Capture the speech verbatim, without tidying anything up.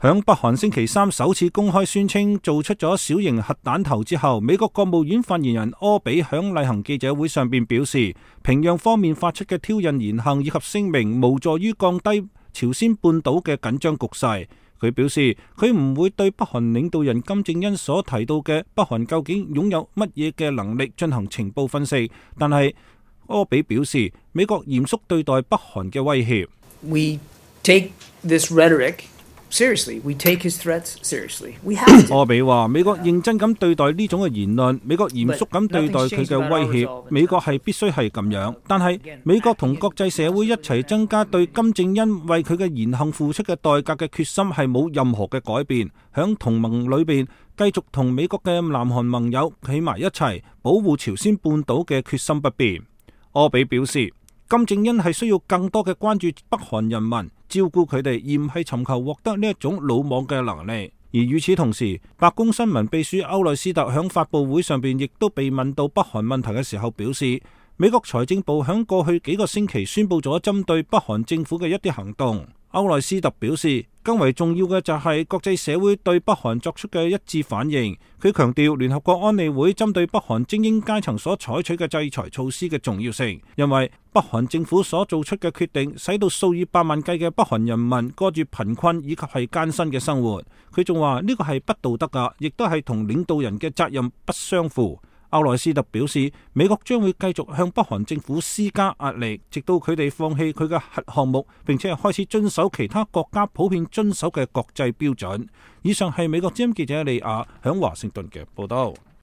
響北韓星期三首次公開宣稱做出咗小型核彈頭之後，美國國務院發言人柯比響例行記者會上邊表示，平壤方面發出嘅挑釁言行以及聲明無助於降低朝鮮半島嘅緊張局勢。佢表示，佢唔會對北韓領導人金正恩所提到嘅北韓究竟擁有乜嘢嘅能力進行情報分析，但係柯比表示，美國嚴肅對待北韓嘅威脅。We take this rhetoric seriously. We take his threats seriously. We have to. 柯比話：美國認真咁對待呢種嘅言論，美國嚴肅咁對待佢嘅威脅，美國係必須係咁樣。但係美國同國際社會一齊增加對金正恩為佢嘅言行付出嘅代價嘅決心係冇任何嘅改變。響同盟裏邊繼續同美國嘅南韓盟友企埋一齊保護朝鮮半島嘅決心不變。柯比表示，金正恩係需要更多嘅關注北韓人民，照顧佢哋，而唔係尋求獲得呢一種魯莽嘅能力。而與此同時，白宮新聞秘書歐內斯特響發佈會上邊亦都被問到北韓問題嘅時候表示，美國財政部響過去幾個星期宣布咗針對北韓政府嘅一啲行動。歐內斯特表示，更為重要嘅就係國際社會對北韓作出嘅一致反應。佢強調聯合國安理會針對北韓精英階層所採取嘅制裁措施嘅重要性，因為北韓政府所做出嘅決定，使到數以百萬計嘅北韓人民過住貧困以及係艱辛嘅生活。佢仲話呢個係不道德噶，亦都係同領導人嘅責任不相符。歐內斯特表示，美國將會繼續向北韓政府施加壓力，直到佢哋放棄佢嘅核項目，並且係開始遵守其他國家普遍遵守嘅國際標準。以上係美國之音記者李亞響華盛頓嘅報道。